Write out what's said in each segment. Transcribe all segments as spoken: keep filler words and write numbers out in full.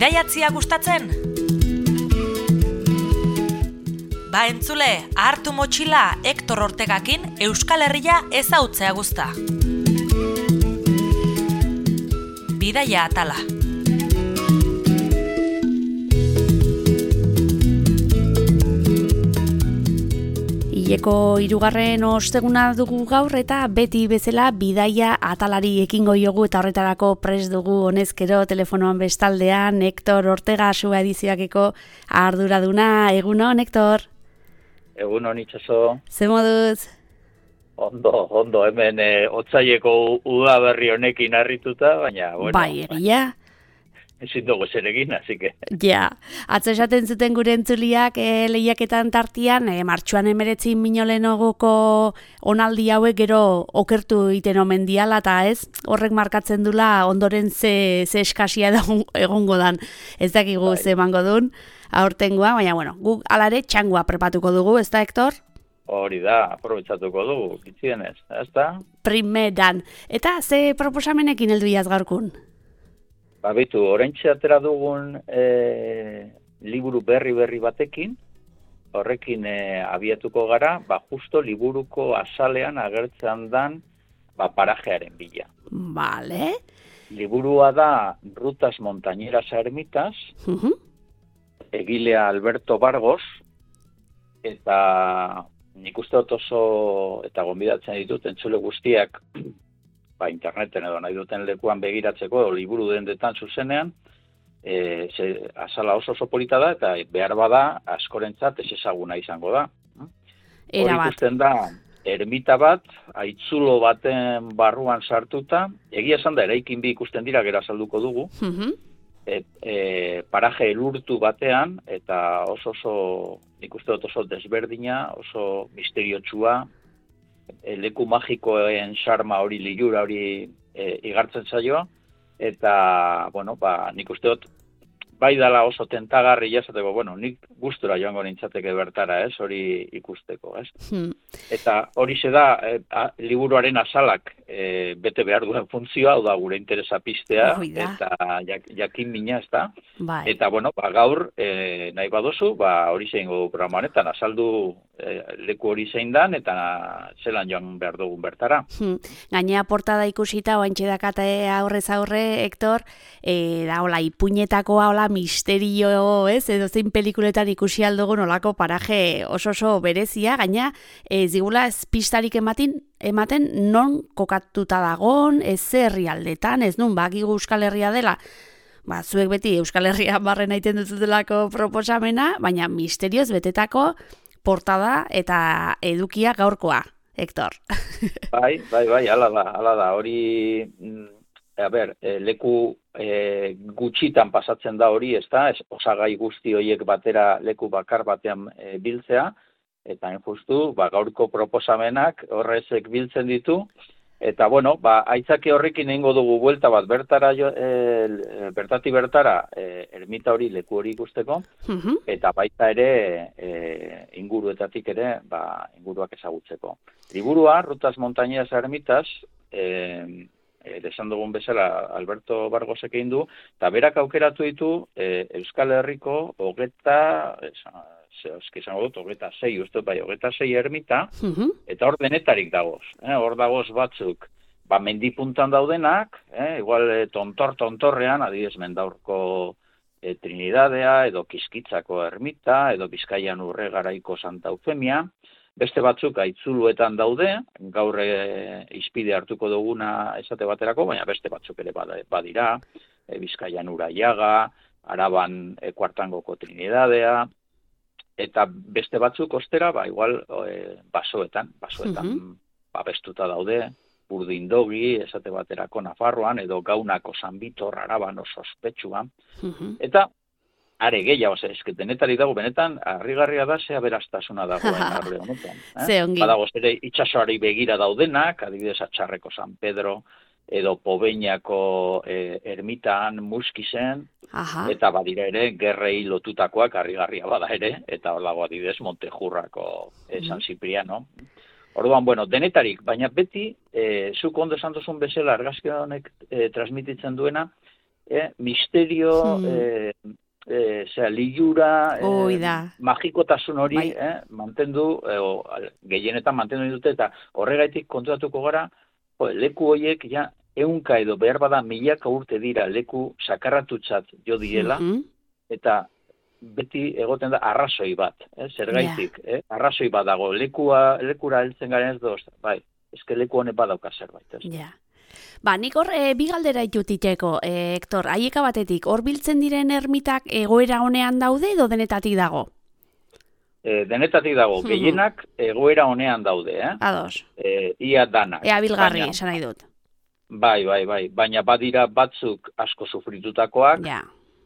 Bidaiatzia gustatzen? Ba entzule, hartu motxila Hektor Ortegakin Euskal Herria ezautzea guzta. Bidaia atala. Hileko hirugarren osteguna dugu gaur eta beti bezala bidaia atalari ekingo diogu eta horretarako prest dugu honezkero telefonoan bestaldean Hektor Ortega Sua edizioakeko arduraduna. Egunon, Hektor? Egunon, itxaso. Ze moduz? Ondo, ondo, hemen e, otzaileko udaberri honekin harrituta, baina, bueno. Bai, egia. Ezin dugu zeregin, así que. Ja, atzo esaten zuten gure entzuliak e, lehiaketan tartian, e, martxoan emeretzi minolenogoko onaldi hauek gero okertu iten omen diala, eta ez, horrek markatzen dula ondoren ze, ze eskasia egongo dan. Ez dakigu bai. Ze emango dun, aurtengoa, baina, bueno, guk alare txangua prepatuko dugu, ez da, Hektor? Hori da, aprobetsatuko dugu, kitzienez, ez da? Primeran. Eta ze proposamenekin heldu iaz gaurkun? Ba, bitu, oraintxe atera dugun e, liburu berri-berri batekin, horrekin e, abiatuko gara, ba, justo liburuko azalean agertzen dan ba, parajearen bila. Vale. Liburua da Rutas Montañeras a Ermitas, uh-huh. Egilea Alberto Bargos, eta nik uste dut oso, eta gonbidatzen ditut, entzule guztiak, ba, interneten edo nahi duten lekuan begiratzeko, liburu dendetan zuzenean, e, ze, azala oso oso polita da, eta behar bada, askorentzat ez ezaguna izango da. Hori ikusten da, ermita bat, haitzulo baten barruan sartuta, egia esan da, eraikin bi ikusten dira, gero azalduko dugu, uh-huh. e, e, paraje elurtu batean, eta oso oso, nik uste dut oso desberdina, oso misteriotsua, leku magikoen xarma hori, lilura hori e, igartzen zaioa, eta, bueno, ba, nik uste dut, bai dala oso tentagarri jasateko, bueno, nik gustura joango nintzateke bertara, ez, hori ikusteko, ez. Hmm. Eta hori se da, e, a, liburuaren azalak e, bete behar duen funtzioa, hau da gure interesa piztea, eta jak, jakin mina, ez da. Bai. Eta, bueno, ba, gaur, e, nahi badozu, ba, hori zein godu programa honetan, azaldu e, leku hori zein dan, eta zelan joan behar dugun bertara. Hmm. Gainea portada ikusita, oantxe dakate aurrez aurre, Hektor, e, da, hola, ipuñetakoa, hola, misterio, ez, edo zein pelikuletan ikusi aldugun olako paraje oso oso berezia, gaina ez digula ez pistarik ematen, ematen non kokatuta dagon, ez herrialdetan, ez nun, bakigu Euskal Herria dela, ba, zuek beti Euskal Herria barren aiten dututelako proposamena, baina misterioz betetako portada eta edukia gaurkoa, Hektor. Bai, bai, bai, ala da, ala da, hori... A ber, e, leku e, gutxitan pasatzen da hori, ez da, osagai guzti horiek batera leku bakar batean e, biltzea, eta enjustu, ba, gaurko proposamenak horrezek biltzen ditu, eta, bueno, ba, aitzaki horrekin egingo dugu buelta bat bertara, jo, e, bertati bertara, e, ermita hori, leku hori ikusteko, uh-huh. eta baita ere, e, inguruetatik ere, ba, inguruak ezagutzeko. Liburua, Rutas Montañeras a Ermitas, e, E, esan dugun bezala Alberto Bargosek egin du, eta berak aukeratu ditu e, Euskal Herriko hogeta, izango dut, hogeta sei, uste bai, hogeta sei ermita, uh-huh. eta hor denetarik dagoz. Eh, hor dagoz batzuk, ba, mendipuntan daudenak, eh, igual e, tontor-tontorrean, adibidez Mendaurko e, Trinidadea, edo Kiskitzako ermita, edo Bizkaian Urregaraiko Santa Eufemia, beste batzuk aitzuluetan daude, gaur e, izpide hartuko duguna esate baterako, baina beste batzuk ere badira, e, Bizkaian Uraiaga, Araban e, Kuartangoko Trinidadea, eta beste batzuk ostera, ba, igual e, basoetan, basoetan uh-huh. babestuta daude, Burdindogi, esate baterako Nafarroan, edo Gaunako San Bitor, Araban oso ospetsuan, uh-huh. eta are gehiago, ez que denetari dago, benetan, harrigarria da, zea beraztasuna dagoen arre honetan. Eh? Ze ongi. Badago, ere itxasoari begira daudenak, adibidez Atxarreko San Pedro, edo Pobeñako eh, ermitan, Muskizen, aha. Eta badira ere, gerrei lotutakoak harrigarria bada ere, eta hor dago adibidez Montejurrako eh, San Cipriano. Orduan, bueno, denetarik, baina beti, eh, zuk ondo esan duzun bezala, argazki honek eh, transmititzen duena, eh, misterio, hmm. eh, eh, zera, lilura, eh, magikotasun hori bai. eh, mantendu, eh, o, gehienetan mantendu dute, eta horregaitik kontratuko gara, jo, leku horiek ja ehunka edo behar bada milaka urte dira leku sakarratutzat jo diela, Mhm. eta beti egoten da arrazoi bat, eh, zergaitik, Ja. eh, arrazoi bat dago, lekua, lekura heltzen garen ez doz, bai, ezke leku honek badauka zerbait, ez? Ja. Ba, nik hor e, bi galdera ditutiteko, e, Hector, haieka batetik, hor biltzen diren ermitak egoera honean daude edo denetatik dago? E, denetatik dago, gehienak egoera honean daude, eh? Ados. E, ia danak. Ea bilgarri, esan nahi dut. Bai, bai, bai, baina badira batzuk asko sufritutakoak, ja.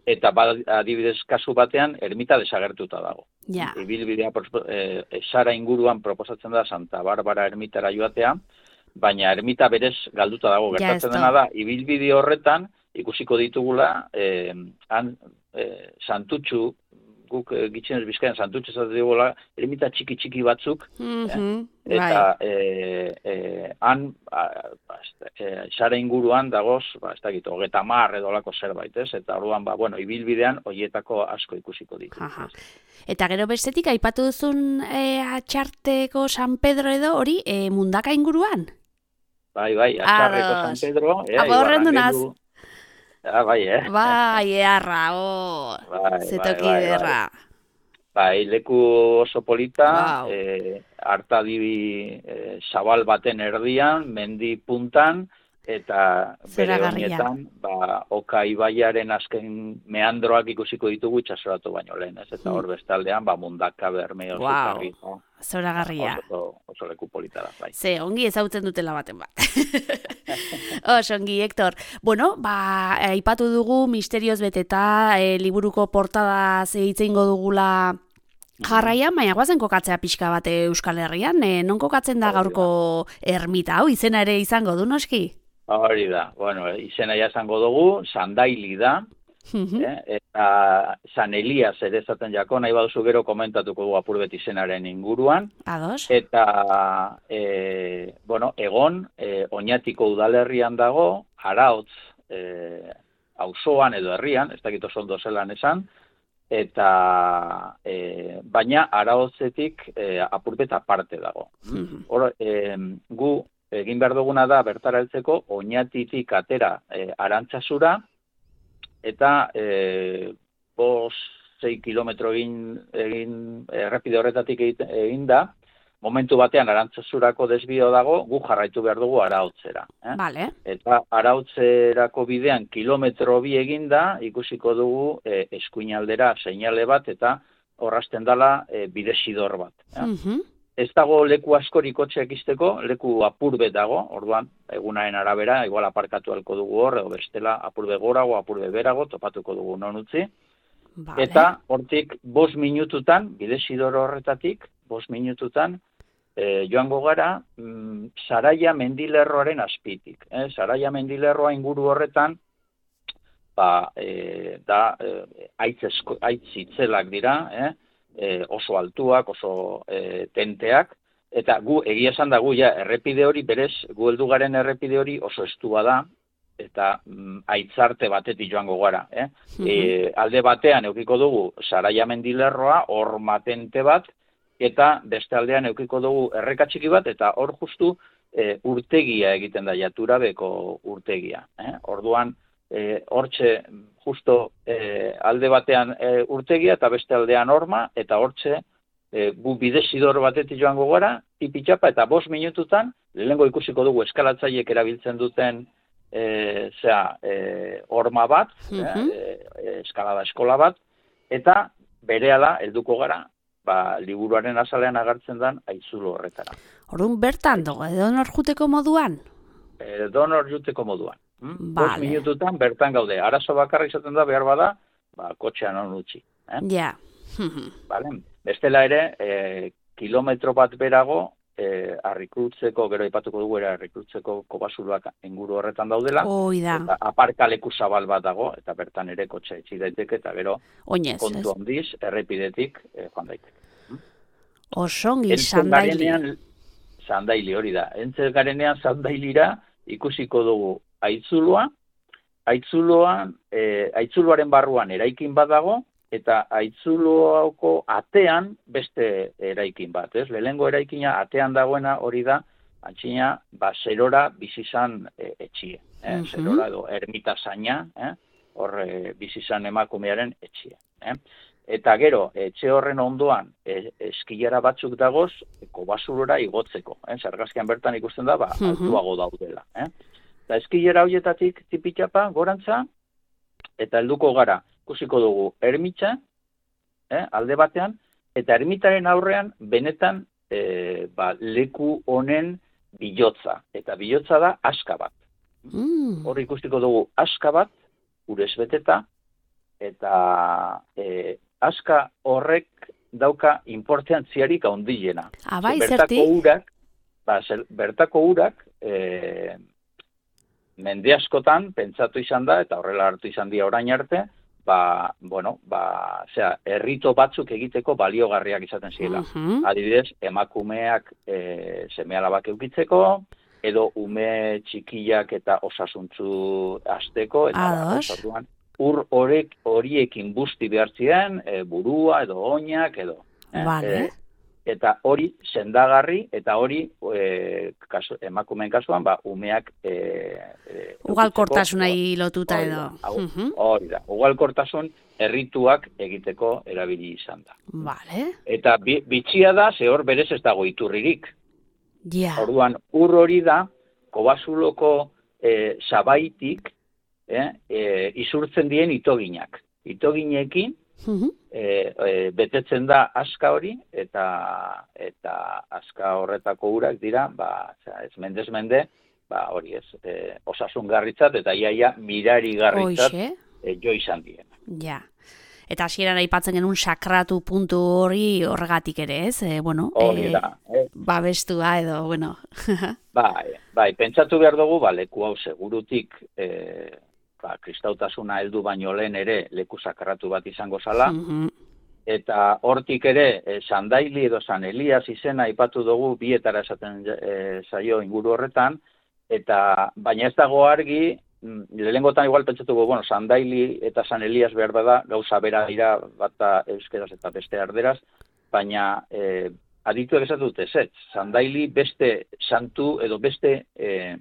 Eta adibidez kasu batean ermita desagertuta dago. Ja. Ibilbidea e, Sara inguruan proposatzen da Santa Barbara ermitara joatea, baina ermita berez galduta dago. Gertatzen dena da, ibilbide horretan ikusiko ditugula eh, han eh, santutxu, guk e, gitxenez Bizkaian santutxu zate digula, ermita txiki-txiki batzuk, mm-hmm. eh? eta eh, eh, han ba, eh, Sara inguruan dagoz, ba, ez dakit, hogeta mar edo lako zerbait, ez? Eta orduan, ba, bueno, ibilbidean horietako asko ikusiko ditu. Eta gero bestetik, aipatu duzun e, atxarteko San Pedro edo hori e, mundaka inguruan? Bai, bai, atxarreko San Pedro. Apa horren dunaz? Ah, bai, eh? Bai, eharra, oh, bai, zetoki bai, bai, derra. Bai. bai, leku oso polita, wow. eh, hartadibi eh, zabal baten erdian, mendi puntan, eta bere honetan, ba, Oka ibaiaren azken meandroak ikusiko ditugu itxasoratu baino lehen, ez? Eta hor bestaldean, ba, mundaka berme oso wow. karri. No? Zoragarria. Oso, oso leku polita da, bai. Ze, ongi ezautzen dutela baten bat. Oso, ongi, Hector. Bueno, ba, aipatu dugu misterioz beteta, e, liburuko portadaz eitzeingo dugula jarraian, baina guazen kokatzea pixka bat Euskal Herrian, e, non kokatzen da gaurko ermita, hau, izena ere izango du noski? Hori da, bueno, izena ja izango dugu, Sandaili da, eh? Eta San Elias ere esaten jako, nahi baduzu gero komentatuko dugu apurbet izenaren inguruan. Ados. Eta, e, bueno, egon, e, Oñatiko udalerrian dago, Araotz e, auzoan edo herrian, ez dakit oso ondo zelan esan, eta e, baina Araotzetik e, apurbet aparte dago. Hor, e, gu egin behar duguna da bertara heltzeko Oñatitik atera e, Arantzazura, eta e, bos, sei kilometro egin, egin errepide horretatik egin da, momentu batean Arantzazurako desbio dago, gu jarraitu behar dugu Araotzera. Eh? Vale. Eta Araotzerako bidean kilometro bi eginda, ikusiko dugu e, eskuinaldera seinale bat, eta horrazten dala e, bidesidor bat. Eh? Uh-huh. Ez dago leku askorik kotxeak izteko, leku apurbet dago, orduan, egunaren arabera, igual aparkatu halko dugu hor, edo bestela apurbe gorago, apurbe berago, topatuko dugu non utzi. Vale. Eta hortik bost minututan, bidesidor horretatik, bost minututan, e, joango gara, mm, Saraia mendilerroaren azpitik. Eh? Saraia mendilerroa inguru horretan, ba, e, da, e, aitz itzelak dira, eh? E, oso altuak, oso e, tenteak, eta gu, egia esan da gu, ja, errepide hori, berez, gu heldu garen errepide hori oso estua da, eta mm, aitzarte batetik joango gara. Eh? Mm-hmm. E, alde batean eukiko dugu Saraia mendilerroa, hor matente bat, eta beste aldean eukiko dugu errekatxiki bat, eta hor justu e, urtegia egiten da, jaturabeko urtegia. Eh? Orduan, e, hortxe, justo e, alde batean e, urtegia eta beste aldean horma, eta hortxe e, gu bidesidor batetik joango gara, tipitxapa, eta bost minututan, lehengo ikusiko dugu eskalatzaiek erabiltzen duten e, zera, e, horma bat, mm-hmm. e, eskalada eskola bat, eta berehala helduko gara, ba, liburuaren azalean agertzen den aitzulo horretara. Orduan bertan dugu, edo nor juteko moduan? Edo nor juteko moduan. Hmm? Vale. Bost minututan bertan gaude. Arazo bakarra izaten da behar bada, ba, kotxean on utzi. Eh? Ja. Vale. Bestela ere, e, kilometro bat berago, e, arrikrutzeko, gero ipatuko dugu era arrikrutzeko kobasuloak inguru horretan daudela. Oida. Eta aparkaleku zabal bat dago, eta bertan ere kotxe etxi daiteke, eta gero Oinez, kontu handiz, errepidetik e, joan daiteke. Hmm? Osongi, Sandaili. Sandaili hori da. Entzel garenean Sandailira ikusiko dugu aitzuloa, aitzuloan, e, aitzuloaren barruan eraikin bat dago, eta aitzuloko atean beste eraikin bat, ez? Lehengo eraikina atean dagoena hori da, antxina, ba, zerora bizizan e, etxie, eh? Uh-huh. Zerora edo ermita zaina, eh? Hor e, bizizan emakumearen etxie. Eh? Eta gero, etxe horren ondoan e, eskilera batzuk dagoz, kobasurora igotzeko. Eh? Zargazkian bertan ikusten da, ba, uh-huh. altuago daudela. Eh? Eta eskilera horietatik tipitxapa, gorantza, eta helduko gara, ikusiko dugu ermitza, eh? alde batean, eta ermitaren aurrean benetan e, ba, leku honen bilotza. Eta bilotza da aska bat. Mm. Hor ikustiko dugu aska bat, urez beteta, eta e, aska horrek dauka importantziarik handiena. Abai, bertako urak, ba, zer, bertako urak, e, mende askotan pentsatu izan da, eta horrela hartu izan dira orain arte, ba, bueno, ba, zera, errito batzuk egiteko baliogarriak izaten zirela. Uh-huh. Adibidez, emakumeak e, seme-alabak eukitzeko, edo ume txikiak eta osasuntzu azteko, eta orduan, ur horek horiekin busti behartzien, e, burua edo oinak edo. Eh? Vale. E, eta hori sendagarri, eta hori e, kasu, emakumeen kasuan, ba, umeak e, e, ugalkortasunai lotuta edo. Hori uh-huh. da, ugalkortasun errituak egiteko erabili izan da. Vale. Eta bi, bitxia da, ze hor berez ez dago iturririk. Yeah. Orduan, ur hori da, kobasuloko e, sabaitik e, e, izurtzen dien itoginak. Itoginekin uh-huh. e, e, betetzen da aska hori, eta eta aska horretako urak dira, ba, ez mendez mende, ba, hori ez, e, osasungarritzat, eta iaia mirarigarritzat e, jo izan dien. Ja. Eta hasieran aipatzen genuen sakratu puntu hori horregatik ere, ez? E, bueno, hori da. E, babestua edo, bueno. bai, bai, pentsatu behar dugu, ba, leku hau segurutik, e, ba, kristautasuna heldu baino lehen ere leku sakratu bat izango zala, uh-huh. eta hortik ere, e, Sandaili edo San Elias izena aipatu dugu, bietara esaten e, zaio inguru horretan, eta baina ez dago argi, lehengotan igual pentsatuko, bueno, Sandaili eta San Elias behar bada, gauza bera dira, bata euskeraz eta beste arderaz, baina e, adituek esatu dute, ez, Sandaili beste santu edo beste e,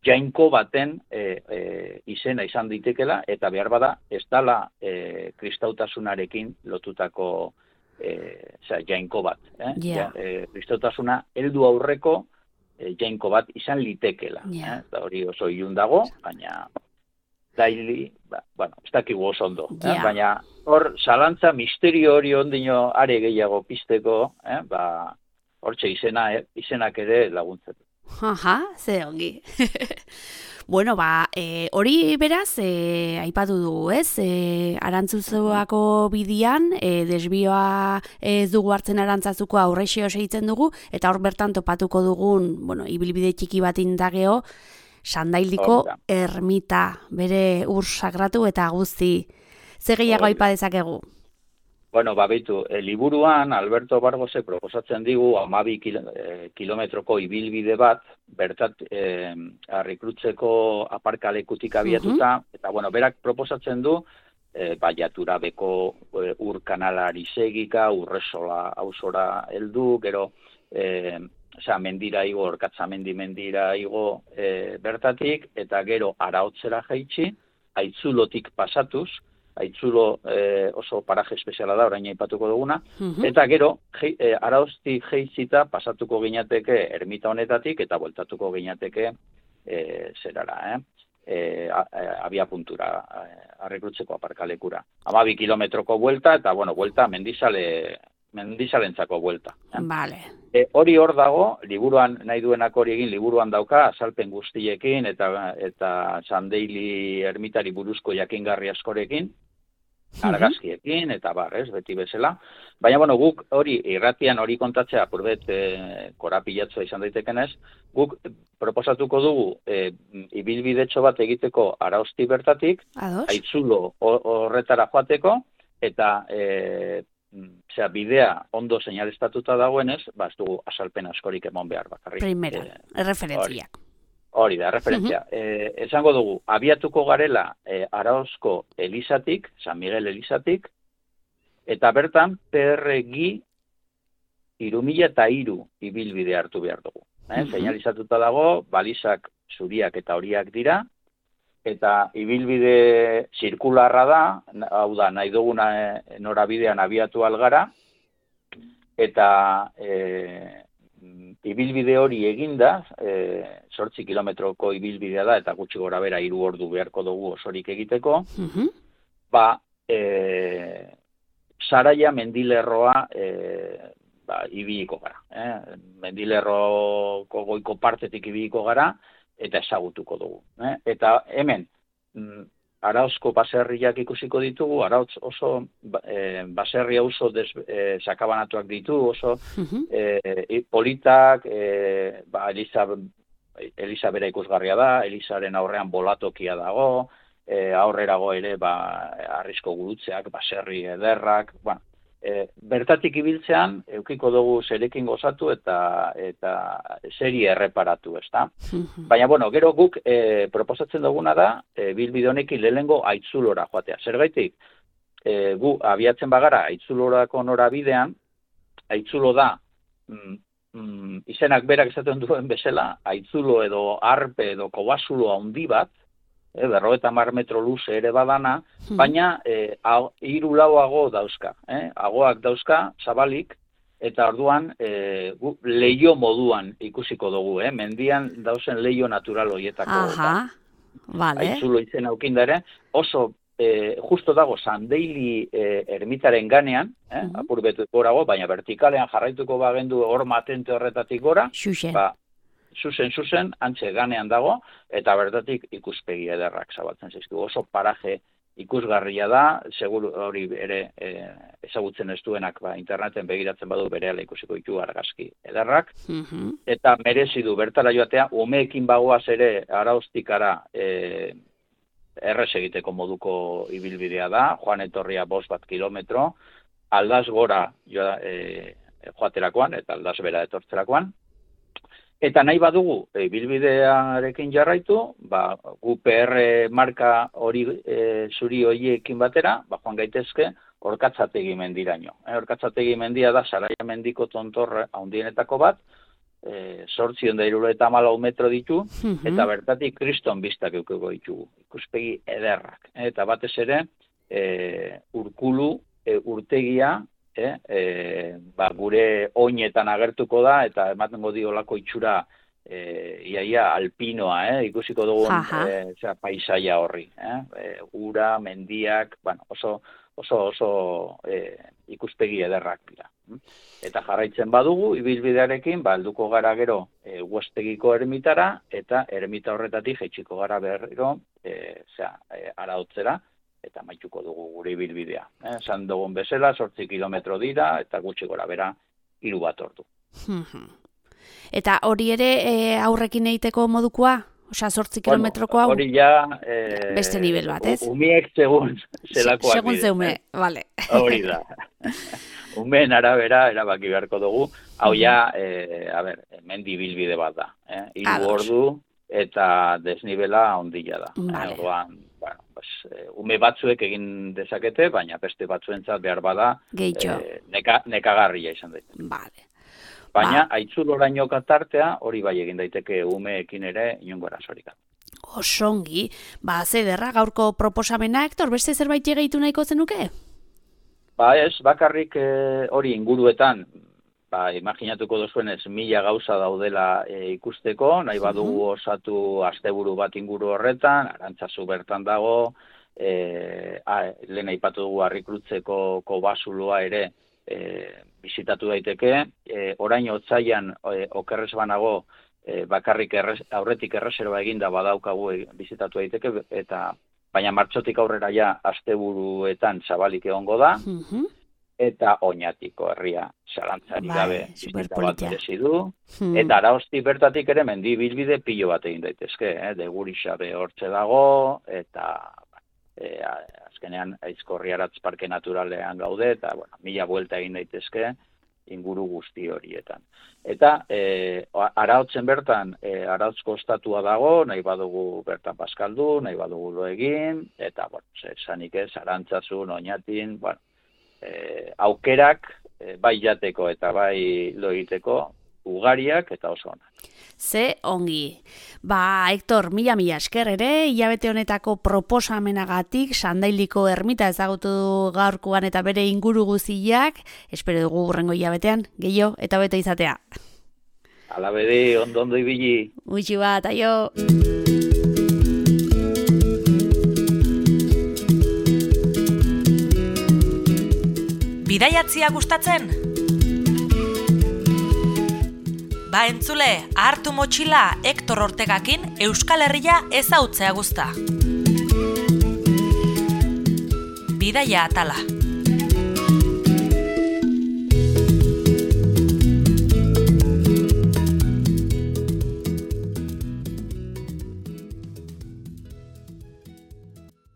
jainko baten e, e, izena izan ditekela, eta behar bada ez dala e, kristautasunarekin lotutako e, oza, jainko bat. Eh? Yeah. Ja, e, kristautasuna heldu aurreko E, jainko bat izan litekela. Yeah. Eh? Hori oso ilun dago, baina daili, ba, bueno, ez dakigu oso ondo. Yeah. Eh? Baina hor, zalantza misterio hori ondino are gehiago pizteko, eh? ba, hortxe izena, eh? izenak ere laguntzen. Aha, ze ongi. Bueno, ba, e, hori beraz, e, aipatu dugu, ez? E, Arantzuzuako bidian, e, desbioa ez dugu hartzen arantzazuko aurrexeo segitzen dugu, eta hor bertan topatuko dugun, bueno, ibilbide txiki bat indageo, Sandailiko ermita, bere ur sagratu eta guzti. Ze gehiago aipa dezakegu? Bueno, babitu, e, liburuan Alberto Bargose proposatzen digu hamabi kilo, e, kilometroko ibilbide bat, bertat e, Arrikrutzeko aparkalekutik abiatuta, uh-huh. eta bueno, berak proposatzen du, e, baiatura beko e, ur kanalari segika, urresola hausora heldu, gero, e, osea, mendira igo, orkatza mendi mendira igo e, bertatik, eta gero Araotzera jaitsi, Aitzulotik pasatuz, Aitzulo eh, oso paraje espeziala da, orain aipatuko duguna, uh-huh. eta gero, je, eh, Araoztik jeizita pasatuko ginateke ermita honetatik, eta bueltatuko ginateke eh, zerara, eh? eh, abia puntura, eh, Arrikrutzeko aparkalekura. Hamabi kilometroko buelta, eta bueno, buelta mendizale, mendizalentzako buelta. Eh? Vale. E, hori hor dago, liburuan nahi duenak hori egin, liburuan dauka, azalpen guztiekin, eta eta Sandaili ermitari buruzko jakingarri askorekin, argazkiekin, eta bar, ez, beti bezala. Baina, bueno, guk hori, irratian hori kontatzea, purbet e, korapilatzua izan daitekenez, guk proposatuko dugu e, ibilbidetxo bat egiteko Araozti bertatik, Ados. Aitzulo horretara joateko, eta e, Osea, bidea ondo seinalestatuta dagoenez, ba, ez dugu asalpen askorik emon behar bakarrik. Primera, e, referentziak. Hori da, referentzia. Uh-huh. E, esango dugu, abiatuko garela e, Arauzko Elizatik, San Miguel Elizatik, eta bertan P R G hiru mila eta hiru ibilbide hartu behar dugu. Eh? Uh-huh. Seinalizatuta dago, balizak zuriak eta horiak dira, eta ibilbide zirkularra da, hau da, nahi duguna e, norabidean abiatu algara, eta e, ibilbide hori eginda, e, zortzi kilometroko ibilbidea da, eta gutxi gora bera hiru ordu beharko dugu osorik egiteko, uh-huh. ba, e, Saraia mendilerroa e, ba, ibiliko gara. Eh? Mendilerroko goiko partetik ibiliko gara, eta ezagutuko dugu. Eh? Eta hemen, mm, Arauzko baserriak ikusiko ditugu, Arauz oso e, baserria oso des, e, sakabanatuak ditu, oso uh-huh. e, politak, e, ba, Eliza, Eliza bera ikusgarria da, Elizaren aurrean bolatokia dago, e, aurrerago ere ba, arrisko gurutzeak, baserri ederrak, bueno, e, bertatik ibiltzean, eukiko dugu zerekin gozatu eta eta seri erreparatu, ezta? Uh-huh. Baina, bueno, gero guk e, proposatzen duguna da, e, bilbide honekin lehenengo Aitzulora joatea. Zergaitik, e, gu abiatzen bagara Aitzulorako norabidean, Aitzulo da, mm, mm, izenak berak esaten duen bezala, Aitzulo edo Arpe edo Kobazulo handi bat, E, berrogeita hamar metro luze ere badana, hmm. baina e, hiru lau ago dauzka. Eh? Agoak dauzka, zabalik, eta orduan e, gu, leio moduan ikusiko dugu. Eh? Mendian dauzen leio natural horietako. Aha, vale. Aitzulo izen aukindare, oso e, justo dago Sandeili e, ermitaren ganean, eh? hmm. apur betu gorago, baina vertikalean jarraituko bagendu hor matente horretatik gora, ba, zuzen, zuzen, antxe ganean dago, eta bertatik ikuspegi ederrak zabaltzen zaizkigu. Oso paraje ikusgarria da, seguru hori ere e, ezagutzen ez duenak ba, interneten begiratzen badu berehala ikusiko ditu argazki ederrak, uh-huh. eta merezi du bertara joatea, umeekin bagoaz ere Arauztikara e, errez egiteko moduko ibilbidea da, joan etorria bost bat kilometro, aldaz gora joa, e, joaterakoan, eta aldaz bera etortzerakoan, eta nahi badugu ibilbidearekin jarraitu, ba, gu P R marka hori e, zuri horiekin batera, ba, joan gaitezke Orkatzategi mendiraino. E, Orkatzategi mendia da Saraia mendiko tontorre handienetako bat, e, zortziehun eta hirurogeita hamalau metro ditu, uh-huh. eta bertatik kriston bistak eukiko ditugu. Ikuspegi ederrak. E, eta batez ere, e, Urkulu e, urtegia, E, e, ba, gure oinetan agertuko da, eta ematengo diolako itxura e, iaia alpinoa, eh? Ikusiko dugun e, zera, paisaia horri. Eh? E, ura, mendiak, bueno, oso, oso, oso e, ikuspegi ederrak dira. Eta jarraitzen badugu, ibilbidearekin, ba, helduko gara gero e, Uestegiko ermitara, eta ermita horretatik jaitsiko gara berriro, e, zera, e, Arautzera, eta maituko dugu gure ibilbidea. Eh? Esan dugun bezala, zortzi kilometro dira, eta gutxi gora bera, hiru bat ordu. Eta hori ere e, aurrekin egiteko modukoa? Osa, zortzi bueno, kilometrokoa? Hori ja... E, beste nivel bat, ez? Umiek segun zelakoak. Segun ze ume, eh? Vale. Hori da. Umeen arabera, erabaki beharko dugu, hau ja, e, a ber, mendi bilbide bat da. Eh? Hiru ordu, eta desnibela ondila da. Vale. Orduan, bueno, pues, ume batzuek egin dezakete, baina beste batzuentzat behar bada e, neka, nekagarria izan daiteke. Vale. Baina, ba. Aitzuloraino katartea, hori bai egin daiteke umeekin ere inongo erasorik. Osongi, ba, zederra gaurko proposamena, Hektor, beste zerbait gehitu nahiko zenuke? Ba ez, bakarrik e, hori inguruetan, ba, imaginatuko duzuenez, mila gauza daudela e, ikusteko, nahi badugu osatu asteburu bat inguru horretan, Arantzazu bertan dago, e, a, lehen aipatu dugu Harrikrutzeko Kobazuloa ere e, bizitatu daiteke, e, orain otsailean e, okerrez banago e, bakarrik errez, aurretik erreserba eginda badaukagu e, bizitatu daiteke, eta baina martxotik aurrera ja asteburuetan zabalik egongo da, uh-huh. eta Oñatiko herria zalantzari gabe bizita bat merezi du, hmm. eta Arauzti bertatik ere mendi bilbide pilo bat egin daitezke, eh? Degurixabe hortze dago, eta e, azkenean Aizkorri Aratz Parke Naturalean gaude, eta bueno, mila buelta egin daitezke, inguru guzti horietan. Eta e, Arautzen bertan, e, Arautzko estatua dago, nahi badugu bertan paskaldu, nahi badugu lo egin, eta, bueno, esanik ez, Arantzazun, Oñatin, bueno, e, aukerak, e, bai jateko eta bai lo egiteko, ugariak eta oso onak. Ze ongi. Ba, Hektor, mila mila esker ere, hilabete honetako proposamenagatik Sandailiko ermita ezagutu gaurkoan eta bere inguru guziak, espero dugu hurrengo hilabetean, gehiago eta bete izatea. Ala bedi, ondo ondo ibili. Muixi bat, aio! Bidaiatzia gustatzen? Ba entzule, hartu motxila Hektor Ortegakin Euskal Herria ezautzea guzta. Bidaia atala.